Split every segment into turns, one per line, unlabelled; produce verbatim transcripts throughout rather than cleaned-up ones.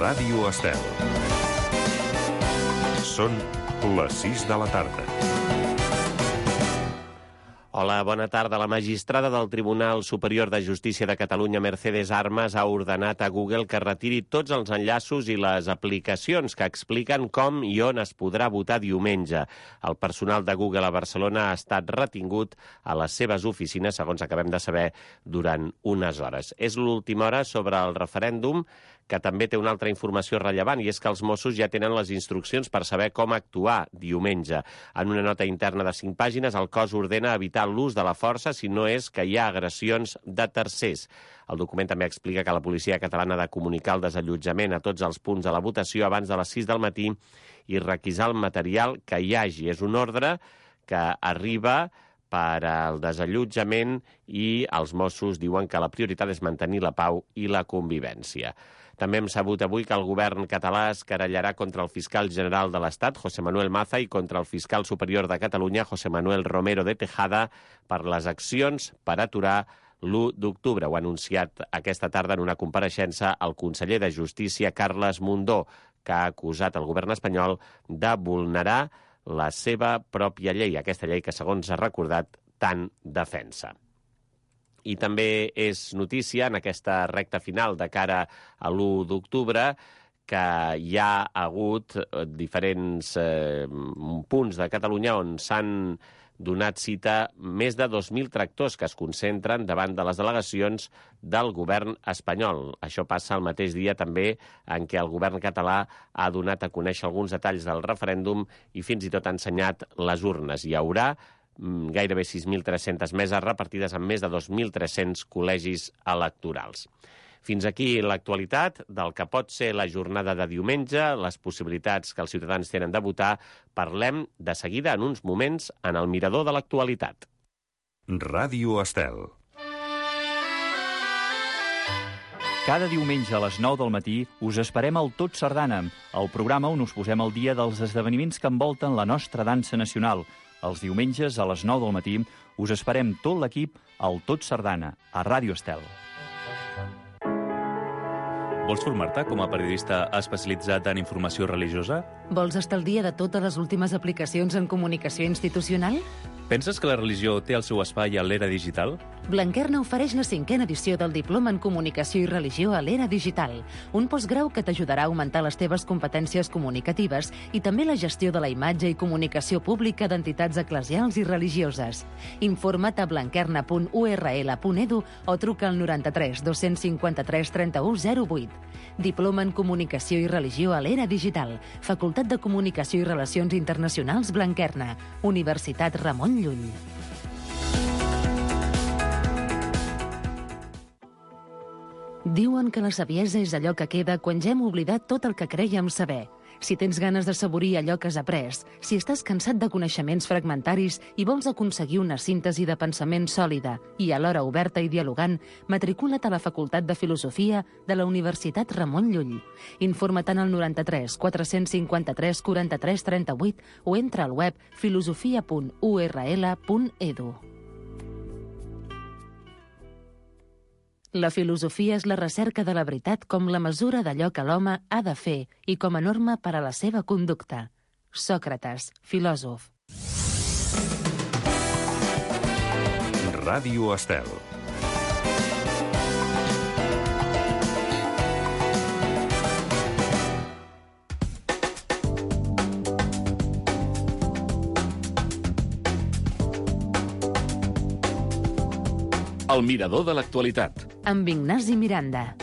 Ràdio Estel. Són les sis de la tarda.
Hola, bona tarda. La magistrada del Tribunal Superior de Justícia de Catalunya, Mercedes Armas, ha ordenat a Google que retiri tots els enllaços i les aplicacions que expliquen com i on es podrà votar diumenge. El personal de Google a Barcelona ha estat retingut a les seves oficines, segons acabem de saber, durant unes hores. És l'última hora sobre el referèndum, que també té una altra informació rellevant, i és que els Mossos ja tenen les instruccions per saber com actuar diumenge. En una nota interna de cinc pàgines, el cos ordena evitar l'ús de la força si no és que hi ha agressions de tercers. El document també explica que la policia catalana ha de comunicar el desallotjament a tots els punts de la votació abans de les sis del matí i requisar el material que hi hagi. És un ordre que arriba per al desallotjament i els Mossos diuen que la prioritat és mantenir la pau i la convivència. També hem sabut avui que el govern català es querellarà contra el fiscal general de l'Estat, José Manuel Maza, i contra el fiscal superior de Catalunya, José Manuel Romero de Tejada, per les accions per aturar l'u d'octubre. Ho ha anunciat aquesta tarda en una compareixença el conseller de Justícia, Carles Mundó, que ha acusat el govern espanyol de vulnerar la seva pròpia llei, aquesta llei que, segons ha recordat, tant defensa. I també és notícia en aquesta recta final de cara a l'u d'octubre que hi ha hagut diferents eh, punts de Catalunya on s'han donat cita més de dos mil tractors que es concentren davant de les delegacions del govern espanyol. Això passa el mateix dia també en què el govern català ha donat a conèixer alguns detalls del referèndum i fins i tot ha ensenyat les urnes. Hi haurà gairebé sis mil tres-centes meses repartides en més de dos mil tres-cents col·legis electorals. Fins aquí l'actualitat del que pot ser la jornada de diumenge, les possibilitats que els ciutadans tenen de votar. Parlem de seguida en uns moments en el mirador de l'actualitat.
Ràdio Estel.
Cada diumenge a les nou del matí us esperem al Tot Sardana, el programa on us posem al dia dels esdeveniments que envolten la nostra dansa nacional. Els diumenges a les nou del matí us esperem tot l'equip al Tot Sardana, a Ràdio Estel.
Vols formar-te com a periodista especialitzat en informació religiosa?
Vols estar al dia de totes les últimes aplicacions en comunicació institucional?
Penses que la religió té el seu espai a l'era digital?
Blanquerna ofereix la cinquena edició del Diploma en Comunicació i Religió a l'era digital, un postgrau que t'ajudarà a augmentar les teves competències comunicatives i també la gestió de la imatge i comunicació pública d'entitats eclesials i religioses. Informa't a blanquerna punt u erra ele punt edu o truca al noranta-tres dos-cents cinquanta-tres trenta-u zero vuit. Diploma en Comunicació i Religió a l'era digital, Facultat de Comunicació i Relacions Internacionals Blanquerna, Universitat Ramon Llull. Diuen que la saviesa és allò que queda quan ja hem oblidat tot el que crèiem saber. Si tens ganes d'assaborir allò que has après, si estàs cansat de coneixements fragmentaris i vols aconseguir una síntesi de pensament sòlida i alhora oberta i dialogant, matricula't a la Facultat de Filosofia de la Universitat Ramon Llull. Informa't al noranta-tres quatre-cents cinquanta-tres quaranta-tres trenta-vuit o entra al web filosofia punt u erra ele punt edu. La filosofia és la recerca de la veritat com la mesura d'allò que l'home ha de fer i com a norma per a la seva conducta. Sòcrates, filòsof.
Ràdio Estel.
El mirador de l'actualitat.
Amb Ignasi Miranda.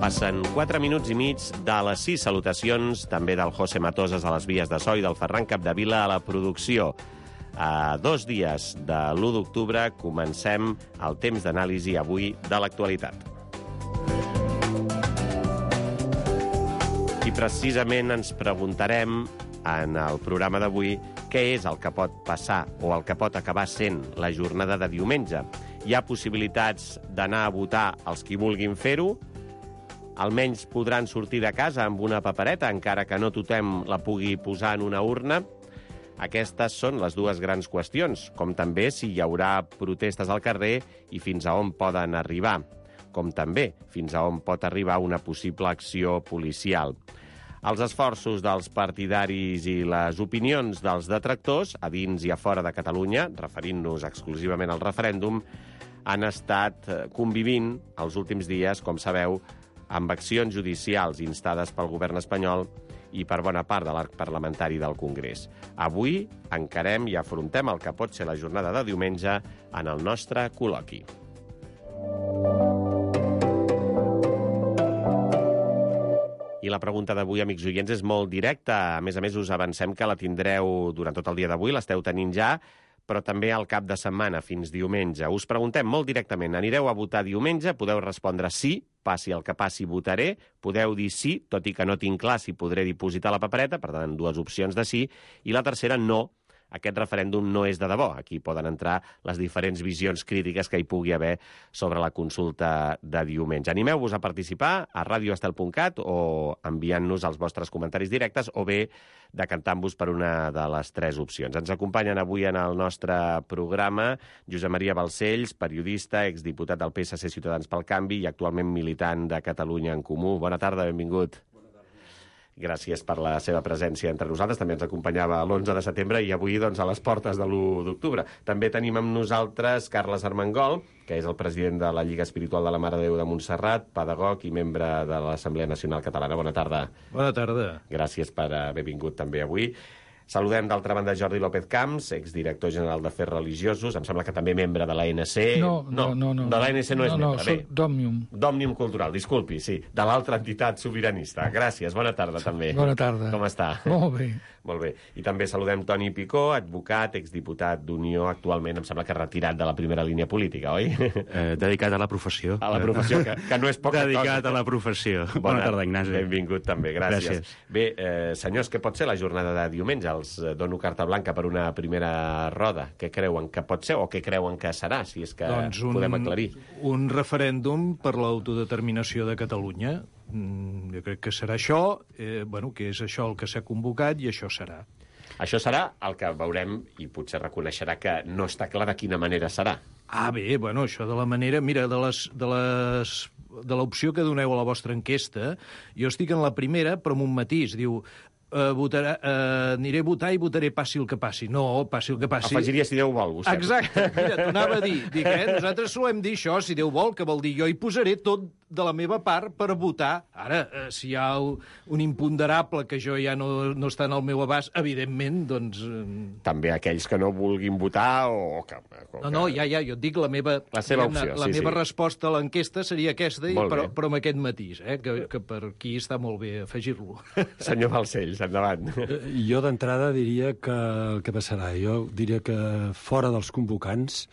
Passen quatre minuts i mig de les sis. Salutacions també del José Matosas a les vies de so i del Ferran Capdevila a la producció. A dos dies de l'u d'octubre comencem el temps d'anàlisi avui de l'actualitat. I precisament ens preguntarem en el programa d'avui què és el que pot passar o el que pot acabar sent la jornada de diumenge. Hi ha possibilitats d'anar a votar els qui vulguin fer-ho, almenys podran sortir de casa amb una papereta, encara que no tothom la pugui posar en una urna. Aquestes són les dues grans qüestions, com també si hi haurà protestes al carrer i fins a on poden arribar, com també fins a on pot arribar una possible acció policial. Els esforços dels partidaris i les opinions dels detractors, a dins i a fora de Catalunya, referint-nos exclusivament al referèndum, han estat convivint els últims dies, com sabeu, amb accions judicials instades pel govern espanyol i per bona part de l'arc parlamentari del Congrés. Avui encarem i afrontem el que pot ser la jornada de diumenge en el nostre col·loqui. I la pregunta d'avui, amics oients, és molt directa. A més a més, us avancem que la tindreu durant tot el dia d'avui, l'esteu tenint ja, però també al cap de setmana, fins diumenge. Us preguntem molt directament, anireu a votar diumenge? Podeu respondre sí, passi el que passi, votaré. Podeu dir sí, tot i que no tinc clar si podré dipositar la papereta, per tant, dues opcions de sí. I la tercera, no. Aquest referèndum no és de debò. Aquí poden entrar les diferents visions crítiques que hi pugui haver sobre la consulta de diumenge. Animeu-vos a participar a radio estel punt cat o enviant-nos els vostres comentaris directes o bé decantant-vos per una de les tres opcions. Ens acompanyen avui en el nostre programa Josep Maria Balcells, periodista, exdiputat del P S C Ciutadans pel Canvi i actualment militant de Catalunya en Comú. Bona tarda, benvingut. Gràcies per la seva presència entre nosaltres. També ens acompanyava l'onze de setembre i avui doncs, a les portes de l'u d'octubre. També tenim amb nosaltres Carles Armengol, que és el president de la Lliga Espiritual de la Mare de Déu de Montserrat, pedagog i membre de l'Assemblea Nacional Catalana. Bona tarda.
Bona tarda.
Gràcies per haver vingut també avui. Saludem d'altra banda Jordi López Camps, exdirector general d'Afers Religiosos, em sembla que també membre de l'A N C.
No, no, no. no.
De l'A N C no és
no,
membre.
No, soc d'Òmnium.
D'Òmnium Cultural, disculpi, sí. De l'altra entitat sobiranista. Gràcies, bona tarda també.
Bona tarda.
Com està?
Molt bé.
Molt bé. I també saludem Toni Picó, advocat, exdiputat d'Unió, actualment em sembla que retirat de la primera línia política, oi?
Eh, dedicat a la professió.
A la professió, que, que no és poca
dedicat
cosa.
Dedicat a la professió. Bona, Bona tarda, Ignasi.
Benvingut també, gràcies.
Gràcies.
Bé, eh, senyors, què pot ser la jornada de diumenge? Els eh, dono carta blanca per una primera roda. Què creuen que pot ser o què creuen que serà, si és que
doncs un,
podem aclarir?
Un referèndum per l'autodeterminació de Catalunya. Mm, jo crec que serà això, eh, bueno, que és això el que s'ha convocat i això serà.
Això serà el que veurem i potser reconeixerà que no està clar de quina manera serà.
Ah, bé, bueno, això de la manera... Mira, de les... De les de l'opció que doneu a la vostra enquesta, jo estic en la primera, però amb un matís. Diu, eh, votarà, eh, aniré a votar i votaré passi el que passi. No, passi el que passi...
Afegiria si Déu vol, vostè.
Exacte. Mira, t'anava a dir. Dic, eh, nosaltres solem dir això, si Déu vol, que vol dir jo hi posaré tot de la meva part per votar. Ara, eh, si hi ha un imponderable que jo ja no, no està en el meu abast, evidentment, doncs... Eh...
També aquells que no vulguin votar o que... O
no, no, ja, ja, jo et dic la meva...
La seva opció,
la
sí,
meva
sí.
resposta a l'enquesta seria aquesta, i, però,
bé.
però amb aquest matís, eh, que, que per aquí està molt bé afegir-lo.
Senyor Balcells, endavant.
Jo d'entrada diria que el que passarà, jo diria que fora dels convocants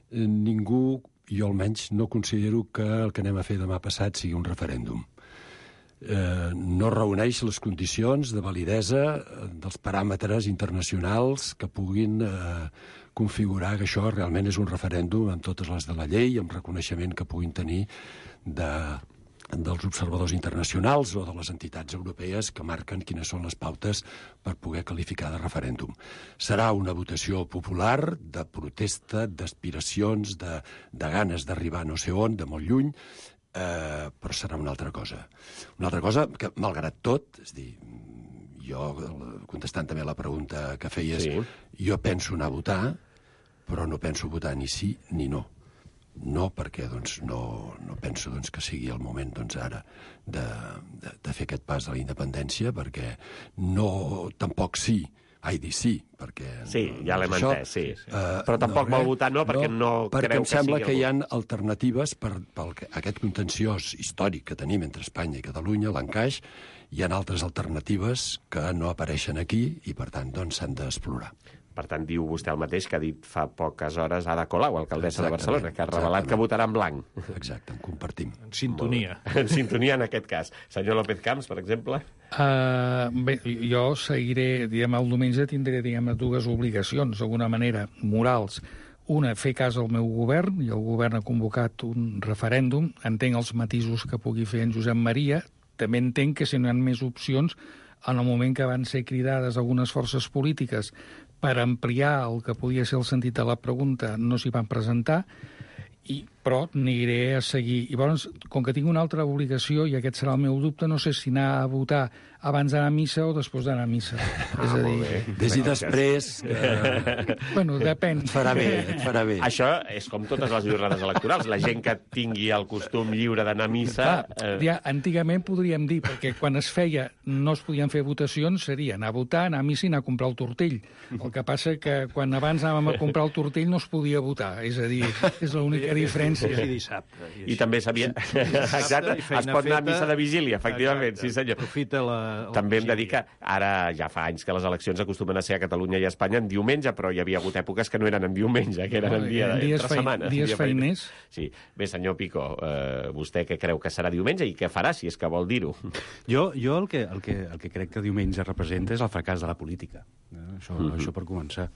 eh, ningú, jo almenys no considero que el que anem a fer demà passat sigui un referèndum. Eh, no reuneix les condicions de validesa dels paràmetres internacionals que puguin eh, configurar que això realment és un referèndum amb totes les de la llei, amb reconeixement que puguin tenir de, dels observadors internacionals o de les entitats europees que marquen quines són les pautes per poder qualificar de referèndum. Serà una votació popular, de protesta, d'aspiracions, de, de ganes d'arribar no sé on, de molt lluny, eh, però serà una altra cosa. Una altra cosa que, malgrat tot, és dir, jo, contestant també la pregunta que feies,
sí.
Jo penso anar a votar, però no penso votar ni sí ni no. No, perquè doncs, no, no penso doncs, que sigui el moment doncs, ara de, de, de fer aquest pas de la independència, perquè no, tampoc sí, ai, dir sí, perquè...
Sí, ja l'hem entès, sí. Uh, però tampoc
no,
vol votar no, perquè no, no
perquè
creu
em sembla
que
que
sigui...
hi ha alternatives per, per aquest contenciós històric que tenim entre Espanya i Catalunya, l'encaix, hi ha altres alternatives que no apareixen aquí i, per tant, doncs, s'han d'explorar.
Per tant, diu vostè el mateix que ha dit fa poques hores Ada Colau, alcaldessa
Exactament,
de Barcelona, que ha revelat
exactament.
que votarà en blanc.
Exacte, en compartim.
En sintonia.
En sintonia, en aquest cas. Senyor López Camps, per exemple?
Uh, bé, jo seguiré, diguem, el diumenge tindré, diguem, dues obligacions, d'alguna manera, morals. Una, fer cas al meu govern, i el govern ha convocat un referèndum. Entenc els matisos que pugui fer en Josep Maria. També entenc que si no hi ha més opcions, en el moment que van ser cridades algunes forces polítiques per ampliar el que podia ser el sentit de la pregunta, no s'hi van presentar, i, però aniré a seguir. I llavors, com que tinc una altra obligació, i aquest serà el meu dubte, no sé si anar a votar abans d'anar a missa o després d'anar a missa.
Ah,
és a dir...
Des i després... Que...
Bueno, depèn.
Et farà bé, et farà bé.
Això és com totes les jornades electorals. La gent que tingui el costum lliure d'anar a missa...
Clar, ja, antigament podríem dir, perquè quan es feia no es podien fer votacions, seria anar a votar, anar a missa i anar a comprar el tortell. El que passa que quan abans anàvem a comprar el tortell no es podia votar. És a dir, és l'única diferència.
I dissabte.
I també s'havia... Exacte, es pot anar a missa de vigília, efectivament, sí senyor.
Aprofita la...
També hem de dir que ara ja fa anys que les eleccions acostumen a ser a Catalunya i a Espanya en diumenge, però hi havia hagut èpoques que no eren en diumenge, que eren en dia de
dies
entre setmana.
Dies feiners.
Sí. Bé, senyor Picó, eh, vostè què creu que serà diumenge i què farà, si és que vol dir-ho?
Jo, jo el, que, el, que, el que crec que diumenge representa és el fracàs de la política. Eh? Això, mm-hmm. això per començar.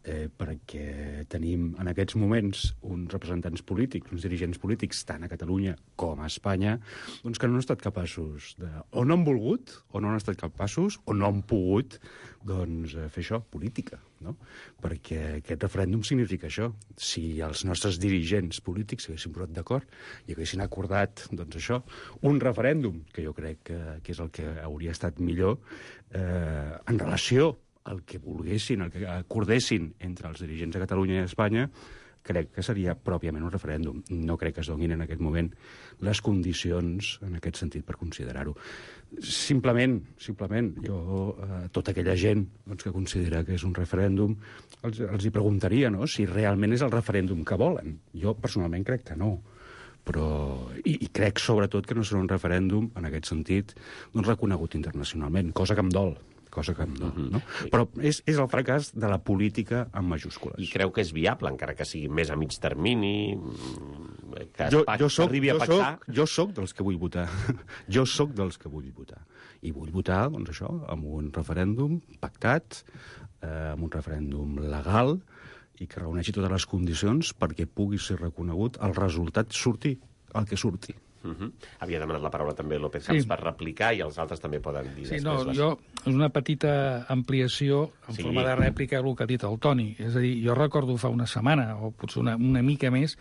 Eh, perquè tenim en aquests moments uns representants polítics, uns dirigents polítics, tant a Catalunya com a Espanya, doncs que no han estat capaços de... o no han volgut, o no han estat capaços, o no han pogut doncs, fer això, política, no? Perquè aquest referèndum significa això. Si els nostres dirigents polítics s'haguessin posat d'acord i haguessin acordat, doncs això, un referèndum, que jo crec que, que és el que hauria estat millor, eh, en relació el que volguessin, el que acordessin entre els dirigents de Catalunya i Espanya, crec que seria pròpiament un referèndum. No crec que es donin en aquest moment les condicions en aquest sentit per considerar-ho. Simplement, simplement, jo, eh, tota aquella gent doncs, que considera que és un referèndum, els, els hi preguntaria, no?, si realment és el referèndum que volen. Jo personalment crec que no. Però, i, i crec sobretot que no serà un referèndum, en aquest sentit, doncs, reconegut internacionalment, cosa que em dol. cosa que no, no? Però és, és el fracàs de la política en majúscules.
I creu que és viable, encara que sigui més a mig termini, que
jo, jo soc,
arribi a
jo
pactar?
Soc, jo soc dels que vull votar. Jo soc dels que vull votar. I vull votar, doncs això, amb un referèndum pactat, eh, amb un referèndum legal, i que reuneixi totes les condicions perquè pugui ser reconegut el resultat surti el que surti.
Uh-huh. Havia demanat la paraula també López Camps
Sí.
per replicar i els altres també poden dir
Sí,
després.
no,
les...
jo, és una petita ampliació en
Sí.
sí. forma de rèplica el que ha dit el Toni. És a dir, jo recordo fa una setmana, o potser una, una mica més,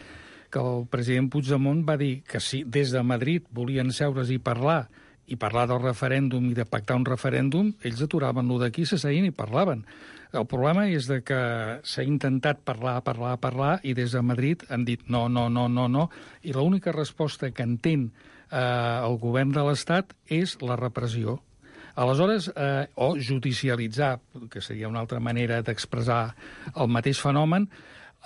que el president Puigdemont va dir que si des de Madrid volien seure's i parlar, i parlar del referèndum i de pactar un referèndum, ells aturaven lo d'aquí, s'asseien i parlaven. El problema és de que s'ha intentat parlar, parlar, parlar, i des de Madrid han dit no, no, no, no, no, i l'única resposta que entén eh, el govern de l'Estat és la repressió. Aleshores, eh, o judicialitzar, que seria una altra manera d'expressar el mateix fenomen,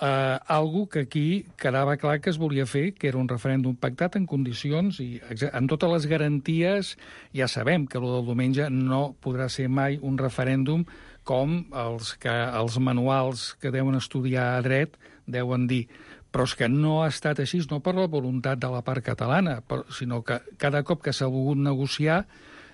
eh, algo que aquí quedava clar que es volia fer, que era un referèndum pactat en condicions i amb totes les garanties. Ja sabem que el del diumenge no podrà ser mai un referèndum com els, que, els manuals que deuen estudiar a dret deuen dir. Però és que no ha estat així, no per la voluntat de la part catalana, però, sinó que cada cop que s'ha volgut negociar,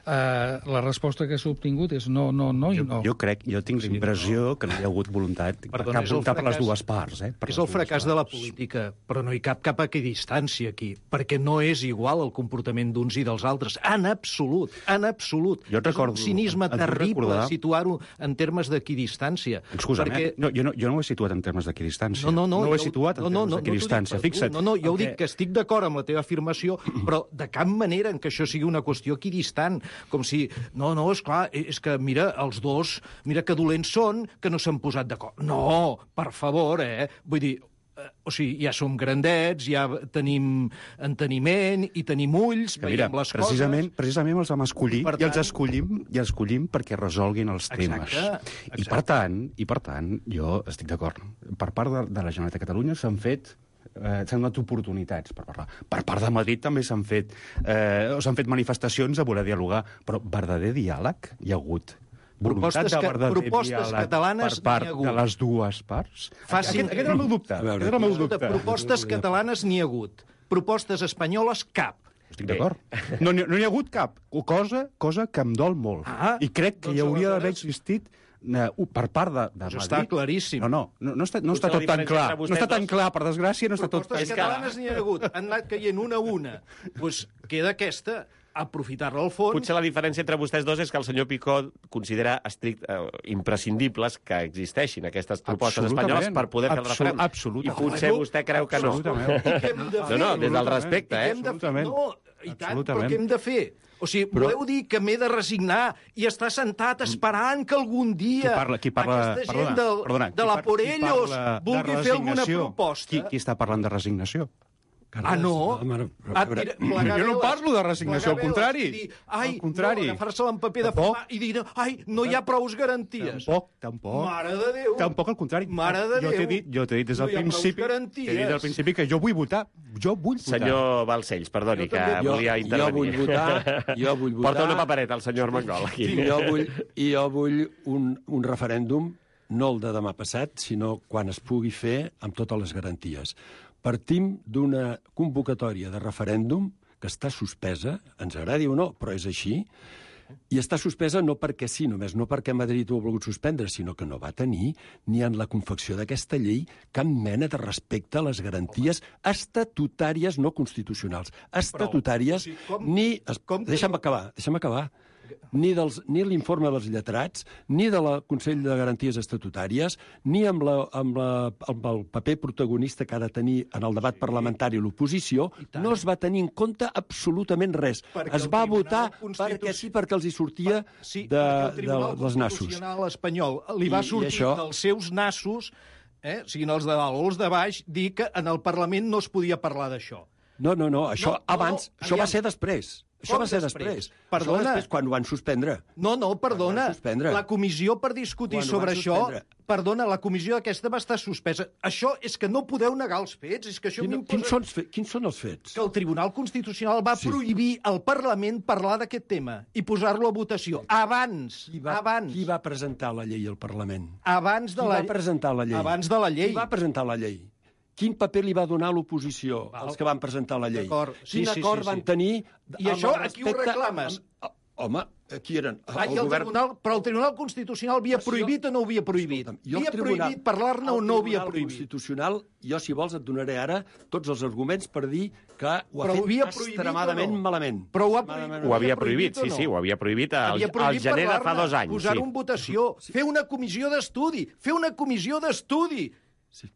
Uh, la resposta que s'ha obtingut és no, no, no i
jo,
no.
Jo crec, jo tinc la impressió que no hi ha hagut voluntat
Perdona,
cap
és el
voluntat per les
fracàs-
dues parts. Eh? Per
És
les
el
dues
fracàs
parts.
de la política, però no hi cap cap equidistància aquí, perquè no és igual el comportament d'uns i dels altres, en absolut, en absolut.
Jo et recordo-
És un cinisme
et vull
terrible
recordar-
situar-ho en termes d'equidistància.
Excusa'm,
perquè...
eh? no, jo, no, jo no ho he situat en termes d'equidistància.
No, no, no,
no ho he
jo-
situat en
no, no,
termes
no,
d'equidistància.
no t'ho dic per tu.
Fixa't.
No, no, jo
el
ho dic que estic d'acord amb la teva afirmació, però de cap manera en què això sigui una qüestió equidistant, com si, no, no, és clar, és que, mira, els dos, mira que dolents són, que no s'han posat d'acord. No, per favor, eh? Vull dir, eh, o sigui, ja som grandets, ja tenim enteniment i tenim ulls,
Que mira,
veiem les
precisament,
coses...
precisament els vam escollir
Per
i els
tant-
escollim i els escollim perquè resolguin els temes.
Exacte,
I
exacte.
per tant, i per tant, jo estic d'acord. Per part de, de la Generalitat de Catalunya s'han fet eh, s'han donat oportunitats per parlar. Per part de Madrid també s'han fet eh, o s'han fet manifestacions a voler dialogar, però verdader diàleg hi ha hagut. voluntat de verdader
propostes
diàleg
catalanes
per part
n'hi ha hagut.
de les dues parts.
Facin...
Aquest, aquest era el meu dubte. Aquest era el meu dubte.
Propostes catalanes n'hi ha hagut. Propostes espanyoles, cap.
Estic d'acord. No n'hi no hi ha hagut cap. Cosa, cosa que em dol molt.
Ah,
I crec que
doncs
hi hauria d'haver
aleshores-
existit eh, per part de, de
Doncs
Madrid.
està claríssim.
No, no, no, no està, no
Potser
està
la
tot tan
diferència
clar.
entre
No
vostès
està tan
dos-
clar, per desgràcia, no està tot...
Propostes
És que-
catalanes n'hi ha hagut. Han anat caient una a una. Doncs queda aquesta, aprofitar-la al fons.
Potser la diferència entre vostès dos és que el senyor Picó considera estrict, eh, imprescindibles que existeixin aquestes propostes
Absolutament.
espanyoles per poder fer el
Absol-
referèndum.
absolutament.
I potser vostè creu que no.
Absolutament.
I què hem de fer?
No, no, des del respecte,
I què
eh?
hem de fer?
Absolutament.
No, i tant, però
Absolutament.
què hem de fer? O sigui,
Però-
voleu dir que m'he de resignar i estar sentat esperant que algun dia
Qui parla, qui parla,
aquesta gent
perdona,
del,
perdona,
de
qui
la
par- qui
Porellos
parla de
vulgui fer alguna
resignació?
proposta...
Qui, qui està parlant de resignació?
Ah, no? Ah, tira, plegar
Jo no
veles,
parlo de resignació, al
plegar
contrari.
veles i Dir, ai,
Al contrari.
no, agafar-se-la en paper de
Tampoc.
fumar i dir, ai, no hi ha prous garanties.
Tampoc, tampoc.
Mare de Déu.
Tampoc, al contrari.
Mare de
jo t'he
Déu.
dit, jo t'he dit des
No
del
hi ha prous
principi,
garanties.
t'he dit des del principi que jo vull votar. Jo vull votar.
Senyor Balcells, perdoni,
Jo
que
també-
volia
jo
intervenir.
vull votar, jo vull votar...
Porta una papereta, el senyor Armengol, aquí.
I jo vull, i jo vull un, un referèndum, no el de demà passat, sinó quan es pugui fer amb totes les garanties. Partim d'una convocatòria de referèndum que està suspesa, ens agradi o no, però és així, i està suspesa no perquè sí, només no perquè Madrid ho ha volgut suspendre, sinó que no va tenir ni en la confecció d'aquesta llei cap mena de respecte a les garanties estatutàries no constitucionals. Estatutàries,
o sigui, com-
ni... Es,
com que-
deixa'm acabar, deixa'm acabar. Ni, dels, ni l'informe dels lletrats, ni de la Consell de Garanties Estatutàries, ni amb, la, amb, la, amb el paper protagonista que ha de tenir en el debat parlamentari l'oposició, no es va tenir en compte absolutament res.
Perquè
Es
el
va
Tribunal
votar
Constituci-
perquè sí, perquè els hi sortia
Sí,
de,
perquè el
de,
Tribunal
dels nassos.
Constitucional espanyol li va
I- i
sortir
això-
dels seus nassos, eh, siguin els de dalt o els de baix, dir que en el Parlament no es podia parlar d'això.
No, no, no, això
No, no,
abans,
no,
això
aviam.
va ser després. Això
Com
va ser
després?
després.
Perdona.
Això va després, quan ho van suspendre.
No, no, perdona.
Quan van suspendre.
La comissió per discutir
Quan ho
sobre
van
això...
suspendre.
Perdona, la comissió aquesta va estar suspesa. Això és que no podeu negar els fets. És que això
Quin,
m'imposa...
quins, són, els fe- quins són els fets?
Que el Tribunal Constitucional va
Sí.
prohibir al Parlament parlar d'aquest tema i posar-lo a votació. Abans,
Qui va,
abans,
qui va presentar la llei al Parlament?
abans de
Qui
la...
va presentar la llei?
Abans de la llei.
Qui va presentar la llei? Quin paper li va donar l'oposició
Val.
als que van presentar la llei?
D'acord. Sí,
Quin
sí,
acord
sí, sí.
van tenir...
I
amb
això
el
a qui ho
respecte-
reclames?
amb- Home, qui eren?
Ah, i el tribunal, però el Tribunal Constitucional havia
Però si
prohibit
jo-
o no havia prohibit?
Escolta'm, jo el
havia
tribunal-
prohibit parlar-ne o
el
no havia
Tribunal
prohibit?
Constitucional, jo, si vols, et donaré ara tots els arguments per dir que ho ha
Però ho havia
fet
prohibit
extremadament
o no?
malament.
Però ho ha
Extremadament
prohibit.
Ho havia
havia
prohibit,
prohibit
sí,
o no?
sí, ho havia prohibit al,
Havia
al
prohibit
gener de fa
parlar-ne,
dos anys.
posar-ho
Sí.
en votació, fer una comissió d'estudi, fer una comissió d'estudi.
Sí.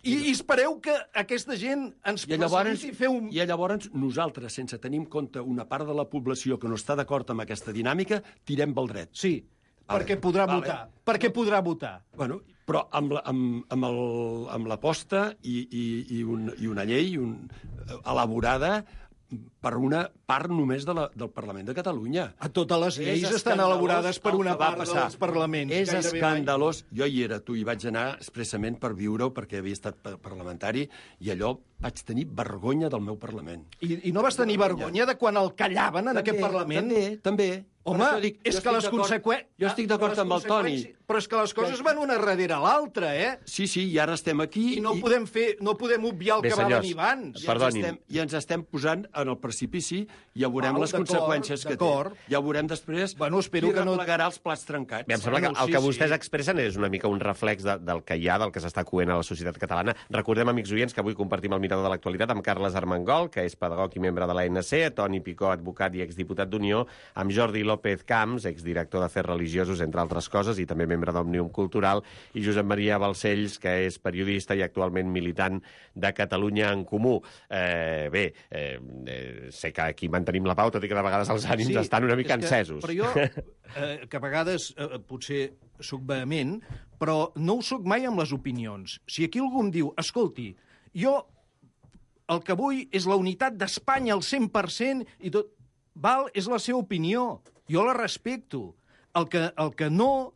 I, I espereu que aquesta gent ens
I llavors,
faciliti fer un...
I llavors nosaltres, sense tenir en compte una part de la població que no està d'acord amb aquesta dinàmica, tirem pel dret.
Sí,
Vale.
perquè podrà
Vale.
votar. Perquè podrà votar.
Bueno, però amb la- amb, amb, el, amb l'aposta i, i, i, un, i una llei un, elaborada per una part només de la, del Parlament de Catalunya.
A totes les lleis
És
estan
escandalós
elaborades per
el
una
que va
part
passar.
dels parlaments.
És
gairebé
escandalós. Jo hi era, tu hi vaig anar expressament per viure-ho, perquè havia estat pa- parlamentari, i allò vaig tenir vergonya del meu Parlament.
mai. I, I no vas tenir vergonya de quan el callaven en aquest Parlament?
També, també.
Home,
Per això dic,
és
jo
que
estic
les
d'acord-
conseqüències...
Jo estic d'acord amb el Toni.
Però és que les coses van una darrere l'altra, eh?
Sí, sí, i ara estem aquí...
I no podem fer, no podem obviar el
Bé,
que va
senyors,
venir abans.
I ens,
Perdonin.
estem, I ens estem posant en el precipici i ja veurem
Val,
les
d'acord,
conseqüències que té.
d'acord.
Ja veurem després
Bueno, espero
qui
que no-
replegarà els plats trencats.
Bé, em sembla que
Bueno,
el
sí,
que vostès
sí.
expressen és una mica un reflex de, del que hi ha, del que s'està coent a la societat catalana. Recordem, amics oients, que avui compartim el mirador de l'actualitat amb Carles Armengol, que és pedagog i membre de l'A N C, Toni Picó, advocat i exdiputat d'Unió, amb Jordi López Camps, exdirector d'Afers Religiosos, entre altres coses, i també membre d'Òmnium Cultural, i Josep Maria Balcells, que és periodista i actualment militant de Catalunya en Comú. Eh, bé, eh, eh, sé que aquí mantenim la pau, tot i que de vegades els ànims
Sí,
estan una mica
és que-
encesos.
Però jo, eh, que a vegades eh, potser sóc vehement, però no ho sóc mai amb les opinions. Si aquí algú em diu, escolti, jo el que vull és la unitat d'Espanya al cent per cent i tot... Val, és la seva opinió. Jo la respecto. El que, el que no...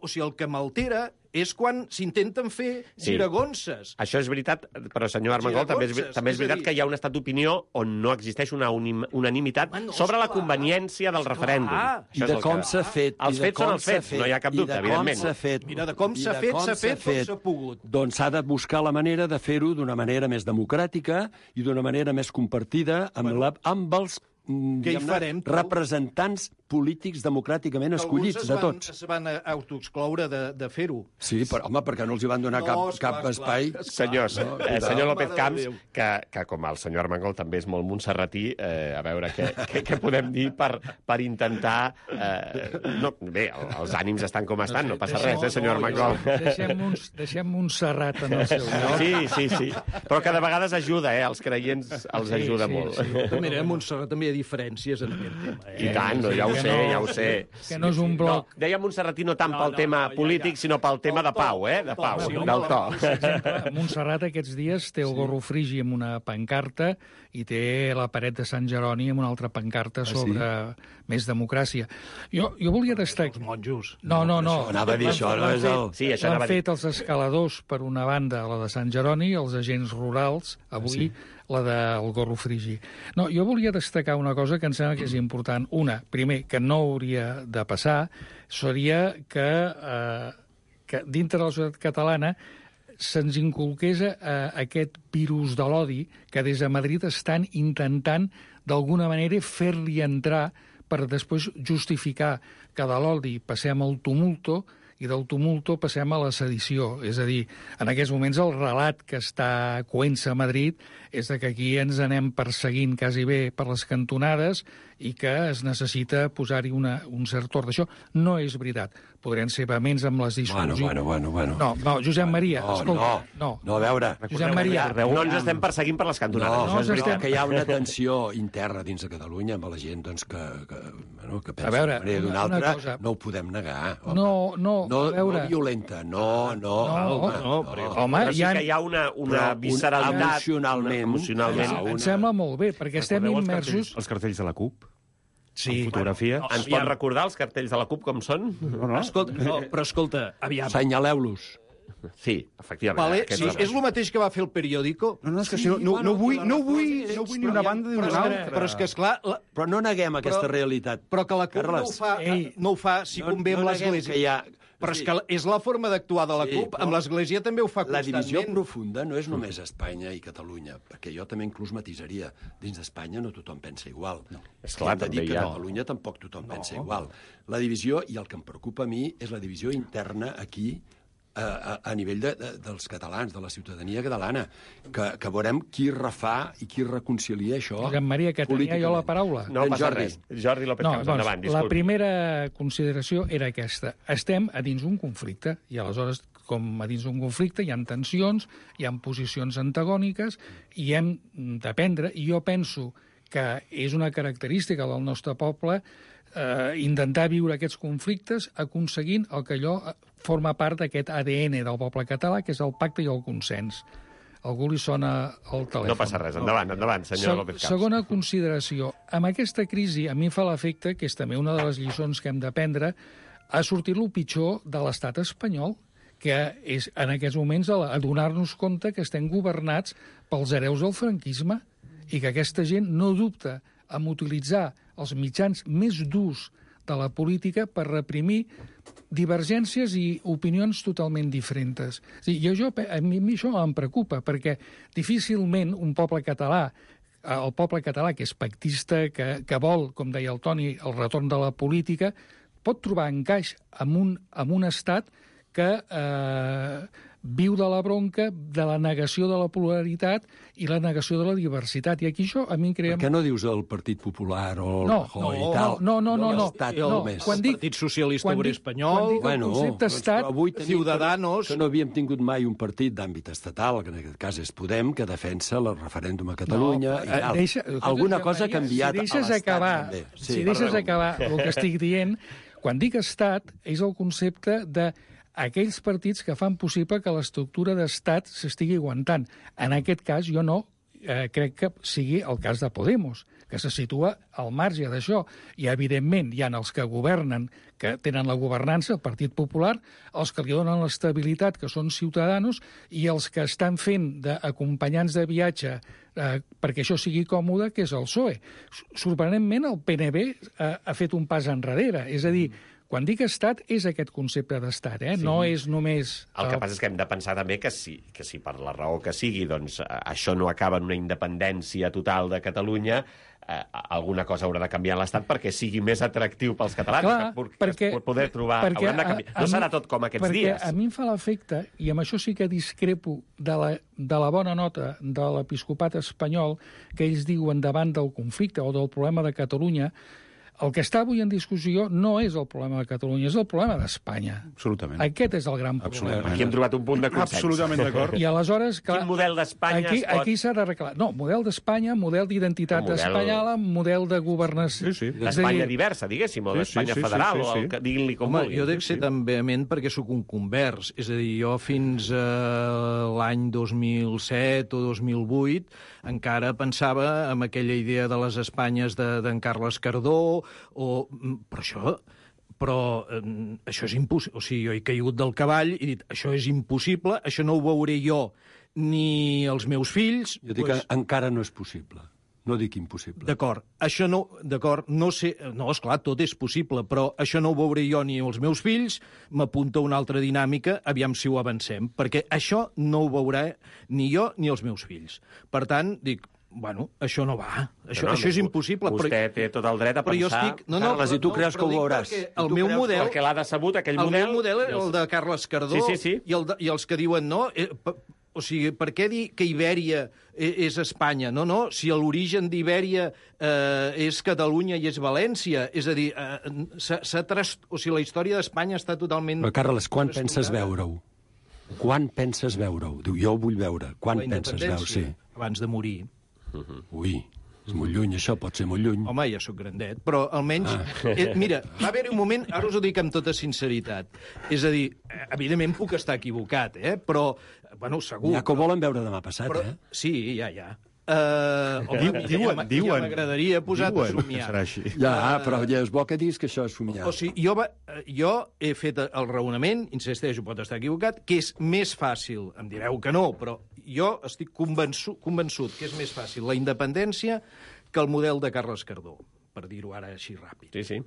o sigui, el que m'altera és quan s'intenten fer
Sí.
giragonses.
Això és veritat, però, senyor Armengol, també és,
Giragonses,
també és
és a
veritat
dir-
que hi ha un estat d'opinió on no existeix una unim, unanimitat
Home, no,
sobre la
esclar,
conveniència del referèndum.
esclar.
Això
I
és
de
el
com
que-
s'ha fet.
Els
i de
fets
com
són els
s'ha
fets, no hi ha cap dubte,
i de
evidentment.
Com s'ha fet,
Mira, de com
i
s'ha
de
fet,
com
s'ha fet com s'ha pogut.
Doncs s'ha de buscar la manera de fer-ho d'una manera més democràtica i d'una manera més compartida amb,
Bueno.
la, amb els mm,
Què hi
diguem-ne,
farem, tu?
representants polítics democràticament escollits,
Alguns es
de
van,
tots.
es van autoexcloure de, de fer-ho.
Sí, però, home, perquè no els hi van donar
No,
cap,
esclar,
cap
esclar,
espai.
esclar.
Senyors,
No,
eh,
cuidao.
senyor López
Mare de
Camps,
Déu.
que, que com el senyor Armengol també és molt montserratí, eh, a veure què, què, què podem dir per, per intentar... Eh, no, bé, els ànims estan com estan, no passa res, eh, senyor Armengol.
Deixem, uns, deixem Montserrat en el seu lloc.
Sí, sí, sí. Però que de vegades ajuda, eh? Els creients els
Sí,
ajuda
sí,
molt.
sí.
Mira, a Montserrat també hi ha diferències en aquest tema. Eh?
I tant, no, ja ho
que
sé,
no-
ja ho sé.
que no és un bloc.
No, deia Montserratí no tant
No,
pel
no,
tema
no, ja,
polític,
ja.
sinó pel tema
Del
de pau,
to,
eh?
del
De
to,
pau,
sí,
del
home,
to.
Per exemple, Montserrat aquests dies té el gorro frigi amb una pancarta i té la paret de Sant Jeroni amb una altra pancarta sobre més democràcia. Jo, jo volia destacar...
Els monjos.
No, no, no.
Això anava a dir, això no
L'han
és
fet-
el-
Sí, això
L'han
anava a dir.
fet els escaladors per una banda, la de Sant Jeroni, els agents rurals, avui la del gorro frigi. No, jo volia destacar una cosa que em sembla que és important. Una, primer, que no hauria de passar, seria que, eh, que dintre de la societat catalana se'ns inculqués eh, aquest virus de l'odi que des de Madrid estan intentant d'alguna manera fer-li entrar per després justificar que de l'odi passem al tumulto i del tumulto passem a la sedició. És a dir, en aquests moments el relat que està coent-se a Madrid és de que aquí ens anem perseguint quasi bé per les cantonades i que es necessita posar-hi una- un cert ordre. Això no és veritat. Podrien ser vehements amb les
Bueno,
discussions.
bueno, bueno, bueno.
No, no, Josep Maria,
No,
escolta,
no, no, a veure.
Josep Maria,
No ens estem perseguint per les cantonades,
No,
això
no
és
ens
veritat.
estem-
que hi ha una tensió interna dins de Catalunya amb la gent doncs, que, que, bueno, que pensa
veure,
d'una manera o d'una
una
altra,
cosa.
no ho podem negar. Home.
No, no,
no,
a veure.
no violenta, no, no.
No,
home,
no,
però-
home,
Però sí
hi ha...
que hi ha una, una
Però un-
visceralitat...
emocionalment-
Emocionalment.
hi ha
Em
una-
sembla molt bé, perquè estem
Recordeu els
immersos...
cartells, els cartells de la CUP?
Sí.
Amb fotografia?
Bueno,
Ens pot recordar els cartells de la CUP com són?
No, no.
Escolta, no, però escolta, aviam.
Senyaleu-los.
Sí, efectivament.
Vale,
aquests
sí,
són-
és el mateix que va fer el periòdico.
No, no, és que si no, no, no, vull, no, vull, no vull ni una banda ni
Però,
una
és que,
altra.
però és que, esclar, la,
Però no neguem aquesta
Però-
realitat.
però que la CUP no ho
Carles,
fa,
Ei.
no ho fa si convé amb
no neguem
l'Església.
que hi ha...
Però és que és la forma d'actuar de la
Sí,
CUP,
però
amb l'Església també ho fa
La
constantment.
divisió profunda no és només Espanya i Catalunya, perquè jo també inclús matisaria. Dins d'Espanya no tothom pensa igual. No.
Esclar,
Hem de dir
també
que
hi ha.
a Catalunya tampoc tothom no. pensa igual. La divisió, i el que em preocupa a mi, és la divisió interna aquí, a, a, a nivell de, de, dels catalans, de la ciutadania catalana, que, que veurem qui refà i qui reconcilia això
Josep Maria, que tenia jo la
políticament.
paraula.
No
En
passa
Jordi.
res. Jordi López
No,
Camps,
doncs,
endavant,
la
disculpi.
primera consideració era aquesta. Estem a dins d'un conflicte, i aleshores, com a dins d'un conflicte, hi ha tensions, hi ha posicions antagòniques, i hem d'aprendre, i jo penso que és una característica del nostre poble eh, intentar viure aquests conflictes aconseguint el que allò eh, forma part d'aquest A D N del poble català, que és el pacte i el consens. A algú li sona el telèfon.
No passa res, endavant, endavant, senyor
Se-
López Camps.
Segona consideració. Amb aquesta crisi, a mi fa l'efecte, que és també una de les lliçons que hem d'aprendre, ha sortit el pitjor de l'estat espanyol, que és en aquests moments a adonar-nos compte que estem governats pels hereus del franquisme i que aquesta gent no dubta en utilitzar els mitjans més durs de la política per reprimir divergències i opinions totalment diferents. Sí, jo, jo, a mi, a mi això em preocupa, perquè difícilment un poble català, el poble català que és pactista, que, que vol, com deia el Toni, el retorn de la política, pot trobar encaix en un, en un estat que eh, viu de la bronca, de la negació de la pluralitat i la negació de la diversitat. I aquí això a mi em crea...
Per què no dius el Partit Popular o el
No,
Rajoy
no,
i tal?
no, no, no, no.
L'estat
No,
només.
quan dic-
El Partit Socialista
quan
Obrer
dic-
Espanyol,
quan dic el concepte
doncs,
estat,
però avui tenim
Ciudadanos...
que no havíem tingut mai un partit d'àmbit estatal, que en aquest cas és Podem, que defensa el referèndum a Catalunya
No,
i
eh,
tal.
deixa-
Alguna
Josep
cosa ha
Maria,
canviat
si
a
deixes
l'estat
acabar,
també.
si deixes
perdó.
acabar el que estic dient, quan dic estat és el concepte de aquells partits que fan possible que l'estructura d'estat s'estigui aguantant. En aquest cas, jo no eh, crec que sigui el cas de Podemos, que se situa al marge d'això. I, evidentment, hi ha els que governen que tenen la governança, el Partit Popular, els que li donen l'estabilitat, que són Ciudadanos, i els que estan fent d'acompanyants de viatge eh, perquè això sigui còmode, que és el P S O E. Sorprenentment, el P N B eh, ha fet un pas enrere. És a dir, quan dic estat, és aquest concepte d'estat, eh? Sí. No és només...
El que passa és que hem de pensar també que si, que si per la raó que sigui doncs, això no acaba en una independència total de Catalunya, eh, alguna cosa haurà de canviar l'Estat perquè sigui més atractiu pels catalans.
Clar,
que,
perquè,
que poder trobar...
perquè
de canviar. No
a, a
serà
mi,
tot com aquests
perquè
dies.
A mi em fa l'efecte, i amb això sí que discrepo de la, de la bona nota de l'episcopat espanyol, que ells diuen davant del conflicte o del problema de Catalunya, el que està avui en discussió no és el problema de Catalunya, és el problema d'Espanya.
Absolutament.
Aquest és el gran problema.
Aquí hem trobat un punt de consens.
Absolutament d'acord.
I aleshores... Clar,
quin model d'Espanya
aquí,
es pot...
Aquí s'ha d'arreglar. No, model d'Espanya, model d'identitat
model...
espanyola, model de governació...
Sí, sí.
L'Espanya diversa, diguéssim, o l'Espanya sí, sí, federal, sí, sí, sí. o el que diguin-li com
Home,
vulguin.
jo dec ser tan vehement perquè sóc un convers. És a dir, jo fins a l'any dos mil set o dos mil vuit encara pensava en aquella idea de les Espanyes d'en de, Carles Cardó, o... però això... però eh, això és impossible. O sigui, jo he caigut del cavall i he dit, això és impossible, això no ho veuré jo ni els meus fills...
Jo dic pues... que encara no és possible. No dic impossible.
D'acord, això no... D'acord, no sé... No, esclar, tot és possible, però això no ho veuré jo ni els meus fills, m'apunta una altra dinàmica, aviam si ho avancem, perquè això no ho veurà ni jo ni els meus fills. Per tant, dic, bueno, això no va. Això,
no,
això és impossible.
Vostè
però,
té tot el dret a
però
pensar...
Jo estic, no, no,
Carles, i tu creus que ho veuràs?
El meu model...
Perquè l'ha decebut, aquell
el
model...
El meu model era el de Carles Cardó,
sí, sí, sí.
I, el de, i els que diuen no... Eh, o sigui, per què dir que Ibèria és Espanya? No, no, si l'origen d'Ibèria eh, és Catalunya i és València, és a dir, eh, s'ha tras... o sigui, la història d'Espanya està totalment...
Però, Carles, quan penses veure-ho? Quan penses veure-ho? Diu, jo ho vull veure. Quan penses veure-ho? Sí.
Abans de morir.
Uh -huh. Ui, és molt lluny, això pot ser molt lluny.
Home, ja sóc grandet, però almenys... Ah. Eh, mira, va haver-hi un moment, ara us ho dic amb tota sinceritat, és a dir, evidentment puc estar equivocat, eh? Però, bueno, segur...
Ja que ho volen veure demà passat,
però,
eh?
Sí, ja, ja. Uh, home,
diuen,
ja,
diuen.
Ja m'agradaria posar a somiar.
Serà així.
Ja, però ja és bo que diguis que això és somiar.
O sigui, jo, va, jo he fet el raonament, insisteixo, pot estar equivocat, que és més fàcil, em direu que no, però jo estic convençut, convençut que és més fàcil la independència que el model de Carles Cardó, per dir-ho ara així ràpid.
Sí, sí.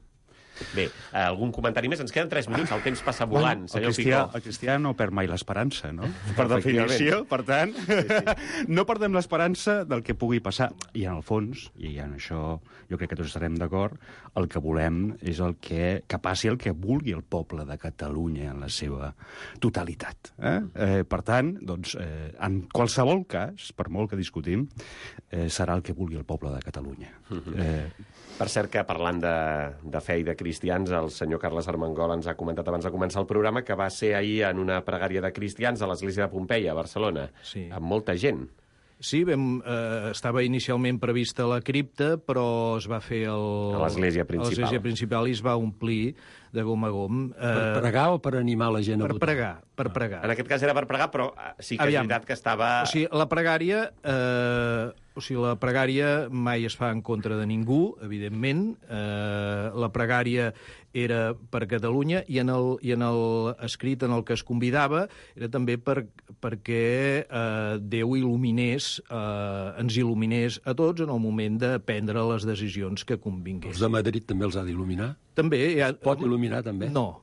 Bé, algun comentari més? Ens queden tres minuts, el temps passa volant,
bueno,
senyor
el cristià,
Picó.
El cristià no perd mai l'esperança, no? Per definició, per tant, sí, sí. No perdem l'esperança del que pugui passar. I en el fons, i en això jo crec que tots estarem d'acord, el que volem és el que, que passi el que vulgui el poble de Catalunya en la seva totalitat. Eh? Eh, per tant, doncs, eh, en qualsevol cas, per molt que discutim, eh, serà el que vulgui el poble de Catalunya.
Uh-huh.
eh,
Per cert que, parlant de, de fe i de cristians, el senyor Carles Armengol ens ha comentat abans de començar el programa que va ser ahir en una pregària de cristians a l'església de Pompeia, a Barcelona,
sí.
Amb molta gent.
Sí, vam, eh, estava inicialment prevista la cripta, però es va fer el,
a l'església principal.
A l'església principal i es va omplir de gom a gom.
Eh, per pregar o per animar la gent a
per
votar?
Pregar, per ah. pregar.
En aquest cas era per pregar, però sí que
Aviam.
és veritat que estava...
O sigui, la pregària... Eh, o sigui, la pregària mai es fa en contra de ningú, evidentment. Eh, la pregària era per Catalunya i en, el, i en el escrit en el que es convidava era també per, perquè eh, Déu il·luminés, eh, ens il·luminés a tots en el moment de prendre les decisions que convinguessin.
Els de Madrid també els ha d'il·luminar?
També. Ja...
Pot il·luminar, també?
No.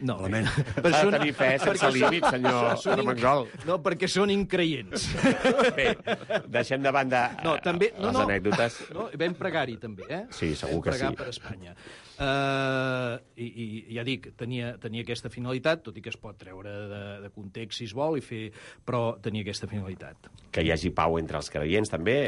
no.
Malament.
Ha de tenir fe sense límit, senyor Armengol.
No, perquè són increients.
Bé, deixem de banda
no, també, no,
les
no,
anècdotes.
No, vam pregar-hi, també, eh?
Sí, segur que sí.
Vam pregar per Espanya. Uh, i, I ja dic, tenia, tenia aquesta finalitat, tot i que es pot treure de, de context si es vol, i fer, però tenia aquesta finalitat.
Que hi hagi pau entre els creients, també.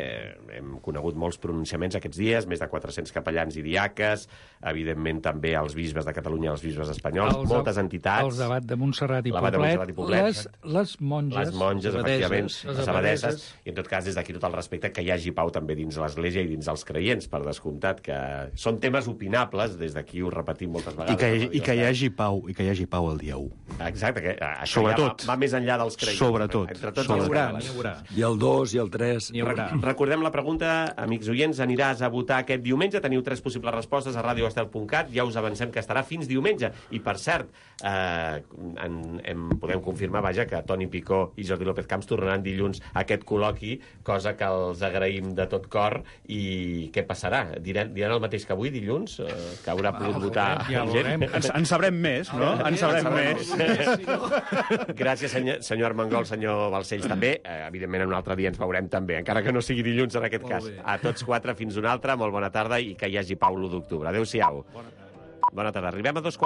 Hem conegut molts pronunciaments aquests dies, més de quatre-cents capellans i diaques, evidentment també els bisbes de Catalunya i els bisbes espanyols, els, moltes entitats.
Els d'Abat de Montserrat i
Poblet,
Poblet, les, les monges,
les monges, efectivament, les abadesses, i en tot cas des d'aquí tot el respecte que hi hagi pau també dins l'Església i dins els creients, per descomptat, que són temes opinables, des d'aquí ho repetim moltes vegades.
I que, hi, i que hi hagi pau, i que hi hagi pau el dia u.
Exacte, que això
Sobretot.
ja va, va més enllà dels creients.
Sobretot.
Entre tots
Sobretot.
els
N'hi haurà,
catòlics.
n'hi haurà.
I el dos i el tres.
N'hi haurà.
Recordem la pregunta, amics oients, aniràs a votar aquest diumenge? Teniu tres possibles respostes a radio estel punt cat, ja us avancem que estarà fins diumenge. I, per cert, eh, en, en podem confirmar, vaja, que Toni Picó i Jordi López Camps tornaran dilluns a aquest col·loqui, cosa que els agraïm de tot cor. I què passarà? Diran, diran el mateix que avui, dilluns? Eh, que haurà pogut votar
ja
gent?
Ens, en sabrem més, no? En sabrem més.
Gràcies, senyor, senyor Armengol, senyor Balcells, també. Eh, evidentment, en un altre dia ens veurem també, encara que no sigui dilluns en aquest cas. A tots quatre, fins una altra, molt bona tarda i que hi hagi pau l'u d'octubre. Adéu-siau. Bona tarda. Bona tarda. Arribem a dos quarts